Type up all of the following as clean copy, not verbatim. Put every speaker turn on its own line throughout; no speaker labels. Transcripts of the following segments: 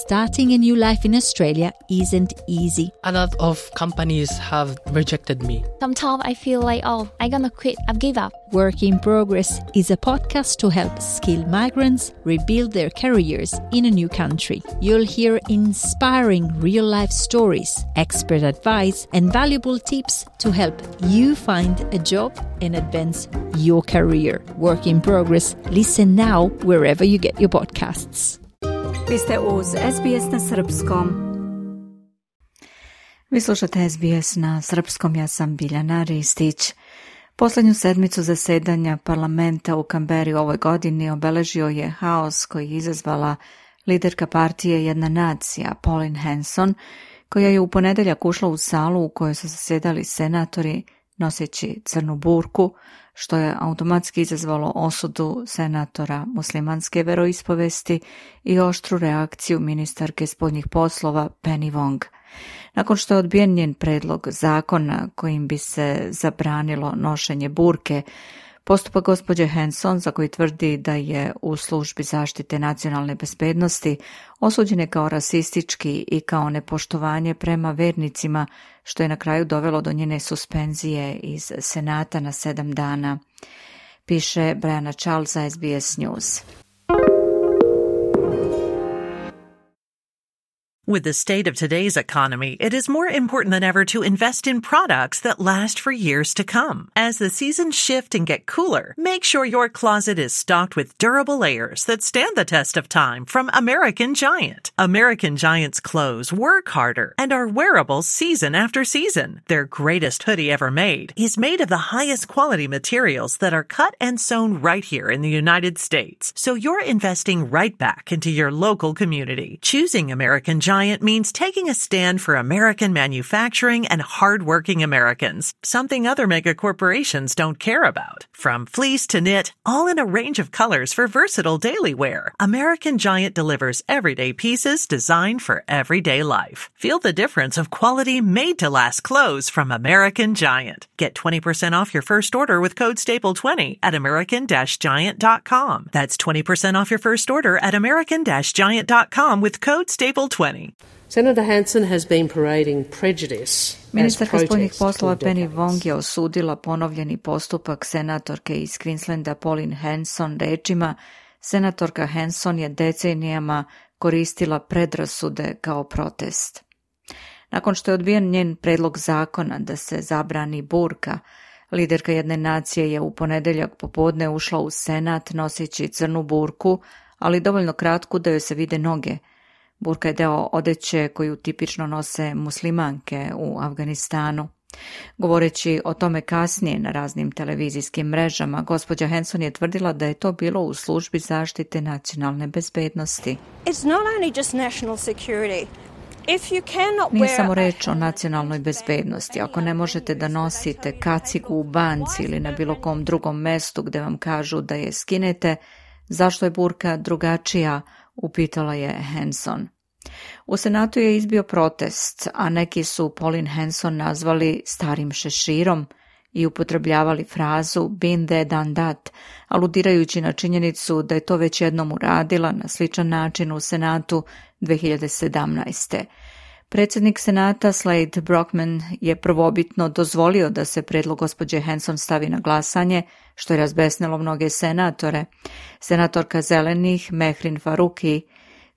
starting a new life in Australia isn't easy.
A lot of companies have rejected me.
Sometimes I feel like, I'm gonna quit, I've give up.
Work in Progress is a podcast to help skilled migrants rebuild their careers in a new country. You'll hear inspiring real-life stories, expert advice, and valuable tips to help you find a job and advance your career. Work in Progress. Listen now wherever you get your podcasts.
Vi ste uz SBS na srpskom. Vi slušate SBS na srpskom, ja sam Biljana Ristić. Posljednju sedmicu zasedanja parlamenta u Kamberi ovoj godini obeležio je haos koji je izazvala liderka partije Jedna nacija, Pauline Hanson, koja je u ponedeljak ušla u salu u kojoj su zasjedali senatori noseći crnu burku, što je automatski izazvalo osudu senatora muslimanske veroispovesti i oštru reakciju ministarke spoljnih poslova Penny Wong. Nakon što je odbijen njen predlog zakona kojim bi se zabranilo nošenje burke, postupak gospođe Hanson, za koji tvrdi da je u službi zaštite nacionalne bezbednosti, osuđen je kao rasistički i kao nepoštovanje prema vernicima, što je na kraju dovelo do njene suspenzije iz Senata na 7 dana, piše Brianna Charles za SBS News.
With the state of today's economy, it is more important than ever to invest in products that last for years to come. As the seasons shift and get cooler, make sure your closet is stocked with durable layers that stand the test of time from American Giant. American Giant's clothes work harder and are wearable season after season. Their greatest hoodie ever made is made of the highest quality materials that are cut and sewn right here in the United States. So you're investing right back into your local community. Choosing American Giant means taking a stand for American manufacturing and hard-working Americans, something other mega corporations don't care about. From fleece to knit, all in a range of colors for versatile daily wear, American Giant delivers everyday pieces designed for everyday life. Feel the difference of quality made-to-last clothes from American Giant. Get 20% off your first order with code STAPLE20 at american-giant.com. That's 20% off your first order at american-giant.com with code STAPLE20.
Senator Hanson has been parading prejudice.
Ministarka spoljnih poslova Penny Wong je osudila ponovljeni postupak senatorke iz Queenslanda Pauline Hanson rečima: senatorka Hanson je decenijama koristila predrasude kao protest. Nakon što je odbijen njen predlog zakona da se zabrani burka, liderka Jedne nacije je u ponedeljak popodne ušla u Senat noseći crnu burku, ali dovoljno kratku da joj se vide noge. Burka je deo odeće koju tipično nose muslimanke u Afganistanu. Govoreći o tome kasnije na raznim televizijskim mrežama, gospođa Hanson je tvrdila da je to bilo u službi zaštite nacionalne bezbednosti.
It's not only just national security.
Nije samo reč o nacionalnoj bezbednosti. Ako ne možete da nosite kacigu u banci ili na bilo kom drugom mestu gde vam kažu da je skinete, zašto je burka drugačija, upitala je Hanson. U Senatu je izbio protest, a neki su Pauline Hanson nazvali starim šeširom i upotrebljavali frazu been there done that, aludirajući na činjenicu da je to već jednom uradila na sličan način u Senatu 2017. Predsjednik Senata Slade Brockman je prvobitno dozvolio da se predlog gospođe Hanson stavi na glasanje, što je razbesnilo mnoge senatore. Senatorka Zelenih Mehrin Faruqi,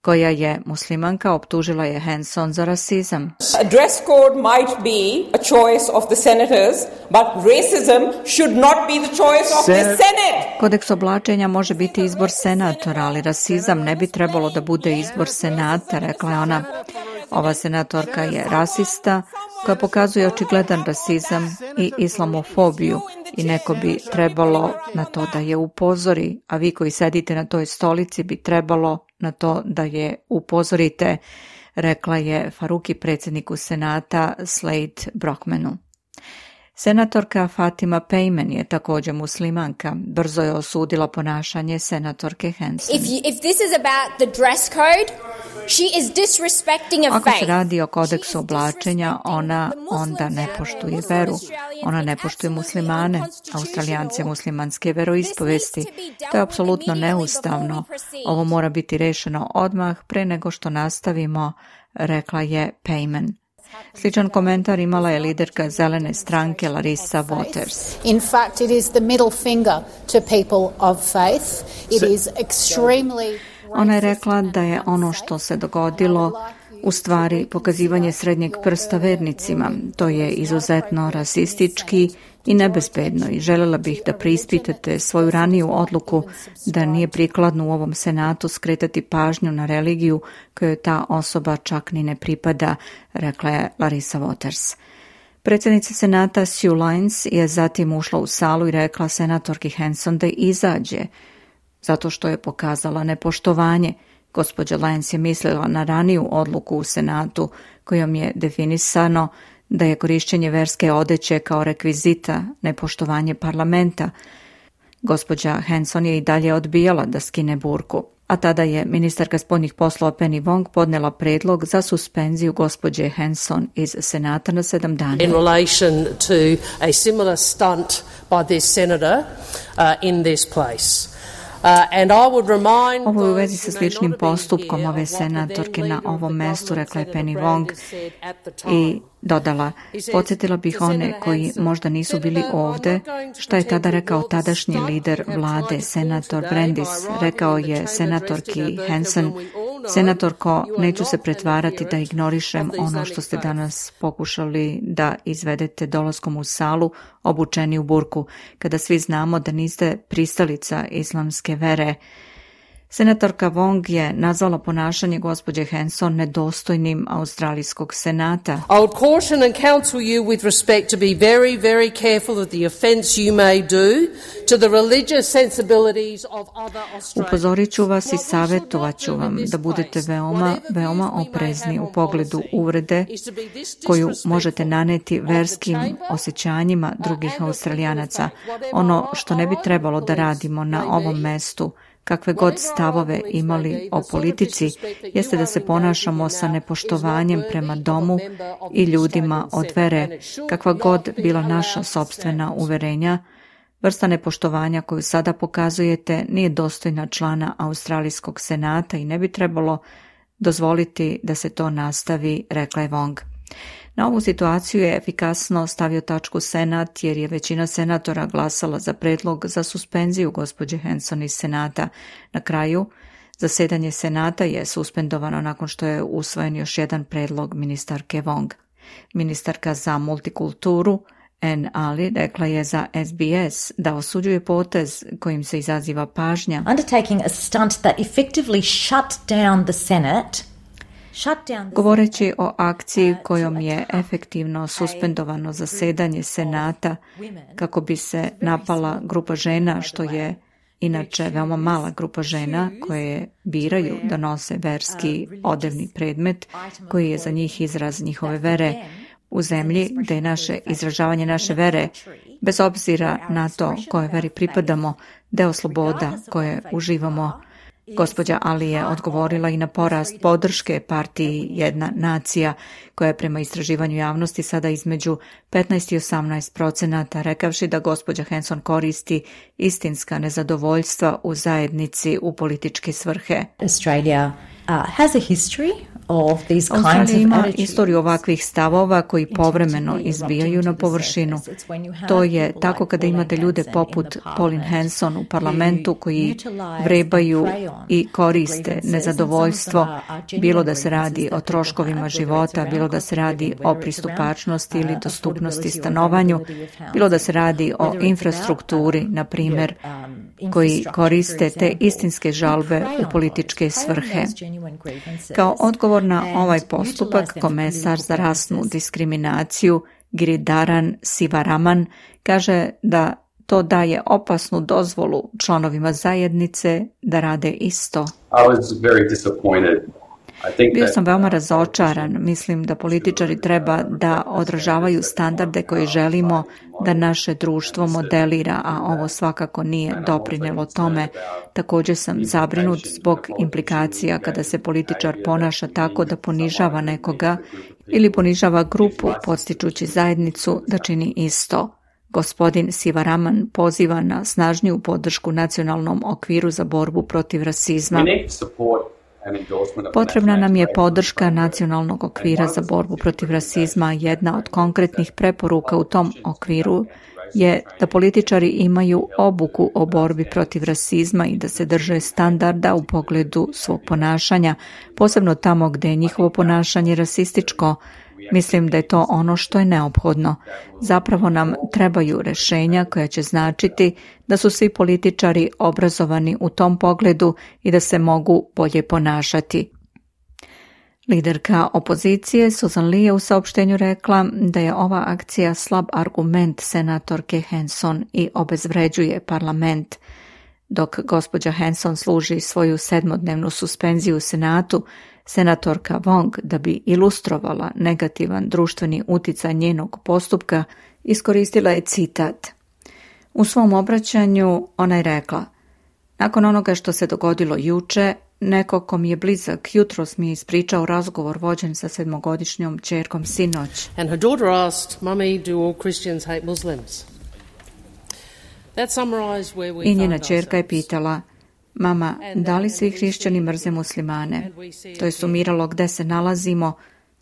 koja je muslimanka, optužila je Hanson za rasizam.
A dress code might be a choice of the senators, but racism should not be the choice of the Senate.
Kodeks oblačenja može biti izbor senatora, ali rasizam ne bi trebalo da bude izbor Senata, rekla je ona. Ova senatorka je rasista koja pokazuje očigledan rasizam i islamofobiju i neko bi trebalo na to da je upozori, a vi koji sedite na toj stolici bi trebalo na to da je upozorite, rekla je Faruqi predsjedniku Senata Slade Brockmanu. Senatorka Fatima Payman je također muslimanka. Brzo je osudila ponašanje senatorke Hanson.
If this is about the dress code, she is disrespecting a faith.
Ako se radi o kodeksu oblačenja, ona onda ne poštuje veru. Ona ne poštuje muslimane, Australijance muslimanske veroispovesti. To je apsolutno neustavno. Ovo mora biti rešeno odmah pre nego što nastavimo, rekla je Payman. Sličan komentar imala je liderka zelene stranke Larissa Waters.
In fact, it is the middle finger to people of faith. It is extremely...
Ona je rekla da je ono što se dogodilo u stvari pokazivanje srednjeg prsta vernicima. To je izuzetno rasistički i nebezbedno i željela bih da preispitate svoju raniju odluku da nije prikladno u ovom senatu skretati pažnju na religiju kojoj ta osoba čak ni ne pripada, rekla je Larissa Waters. Predsjednica senata Sue Lines je zatim ušla u salu i rekla senatorki Hanson da izađe, zato što je pokazala nepoštovanje. Gospođa Lines je mislila na raniju odluku u senatu kojom je definisano da je korišćenje verske odeće kao rekvizita nepoštovanje parlamenta. Gospođa Hanson je i dalje odbijala da skine burku, a tada je ministarka spoljnih poslova Penny Wong podnela predlog za suspenziju gospođe Hanson iz senata na 7 dana.
In relation to a similar stunt by this senator in this place.
Ovo je u vezi sa sličnim postupkom ove senatorke na ovom mestu, rekla je Penny Wong i dodala, podsjetila bih one koji možda nisu bili ovde, šta je tada rekao tadašnji lider vlade, senator Brandis. Rekao je senatorki Hanson, senatorko, neću se pretvarati da ignorišem ono što ste danas pokušali da izvedete dolaskom u salu obučeni u burku, kada svi znamo da niste pristalica islamske vere. Senatorka Wong je nazvala ponašanje gospođe Hanson nedostojnim australijskog senata.
I would caution and counsel you with respect to be very, very careful of the offence you may do to the religious sensibilities of other Australians.
Upozorit ću vas i savjetovat ću vam da budete veoma oprezni u pogledu uvrede koju možete naneti verskim osjećanjima drugih Australijanaca. Ono što ne bi trebalo da radimo na ovom mestu, kakve god stavove imali o politici, jeste da se ponašamo sa nepoštovanjem prema domu i ljudima od vere, kakva god bila naša sopstvena uverenja. Vrsta nepoštovanja koju sada pokazujete nije dostojna člana Australijskog senata i ne bi trebalo dozvoliti da se to nastavi, rekla je Wong. Na ovu situaciju je efikasno stavio tačku senat jer je većina senatora glasala za predlog za suspenziju gospođe Hanson iz senata. Na kraju, zasedanje senata je suspendovano nakon što je usvojen još jedan predlog ministarke Wong. Ministarka za multikulturu Ann Ali rekla je za SBS da osuđuje potez kojim se izaziva pažnja.
Undertaking a stunt that effectively shut down the Senate.
Govoreći o akciji kojom je efektivno suspendovano zasedanje senata kako bi se napala grupa žena, što je inače veoma mala grupa žena koje biraju da nose verski odevni predmet koji je za njih izraz njihove vere u zemlji gde je naše izražavanje naše vere, bez obzira na to koje veri pripadamo, deo sloboda koje uživamo. Gospođa Ali je odgovorila i na porast podrške partiji Jedna nacija, koja je prema istraživanju javnosti sada između 15 i 18%, rekavši da gospođa Hanson koristi istinska nezadovoljstva u zajednici u političke svrhe.
Australia has a history of these kinds of
Australija ima
attitudes.
istoriju ovakvih stavova koji povremeno izbijaju na površinu. To je tako kada imate ljude poput Pauline Hanson u parlamentu koji vrebaju i koriste nezadovoljstvo, bilo da se radi o troškovima života, bilo da se radi o pristupačnosti ili dostupnosti stanovanju, bilo da se radi o infrastrukturi, na primjer, koji koriste te istinske žalbe u političke svrhe. Kao odgovor na ovaj postupak, komesar za rasnu diskriminaciju Giridharan Sivaraman kaže da to daje opasnu dozvolu članovima zajednice da rade isto.
I was very disappointed
Bio sam veoma razočaran. Mislim da političari treba da odražavaju standarde koje želimo da naše društvo modelira, a ovo svakako nije doprinelo tome. Također sam zabrinut zbog implikacija kada se političar ponaša tako da ponižava nekoga ili ponižava grupu, podstičući zajednicu da čini isto. Gospodin Sivaraman poziva na snažniju podršku nacionalnom okviru za borbu protiv rasizma. Potrebna nam je podrška nacionalnog okvira za borbu protiv rasizma. Jedna od konkretnih preporuka u tom okviru je da političari imaju obuku o borbi protiv rasizma i da se drže standarda u pogledu svog ponašanja, posebno tamo gdje je njihovo ponašanje rasističko. Mislim da je to ono što je neophodno. Zapravo nam trebaju rješenja koja će značiti da su svi političari obrazovani u tom pogledu i da se mogu bolje ponašati. Liderka opozicije Susan Lee je u saopštenju rekla da je ova akcija slab argument senatorke Hanson i obezvređuje parlament. Dok gospođa Hanson služi svoju 7-dnevnu suspenziju u Senatu, senatorka Wong, da bi ilustrovala negativan društveni uticaj njenog postupka, iskoristila je citat. U svom obraćanju ona je rekla: nakon onoga što se dogodilo juče, neko ko mi je blizak jutros mi je ispričao razgovor vođen sa 7-godišnjom ćerkom sinoć.
And her daughter asked, "Mummy, do all Christians hate Muslims?"
I njena ćerka je pitala: mama, da li svi hrišćani mrze muslimane? To je sumiralo gde se nalazimo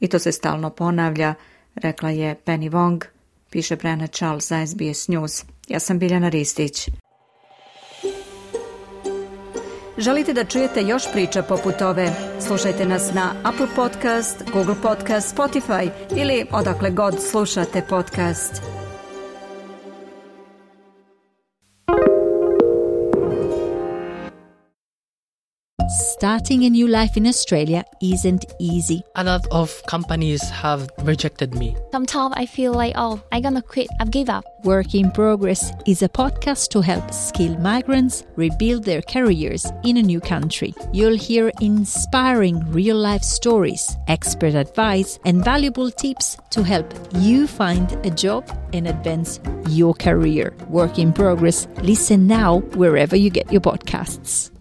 i to se stalno ponavlja, rekla je Penny Wong, piše Brenna Charles za SBS News. Ja sam Biljana Ristić. Želite da čujete još priča poput ove? Slušajte nas na Apple Podcast, Google Podcast, Spotify ili odakle god slušate podcast.
Starting a new life in Australia isn't easy.
A lot of companies have rejected me.
Sometimes I feel like, I'm gonna quit, I've give up.
Work in Progress is a podcast to help skilled migrants rebuild their careers in a new country. You'll hear inspiring real-life stories, expert advice, and valuable tips to help you find a job and advance your career. Work in Progress. Listen now wherever you get your podcasts.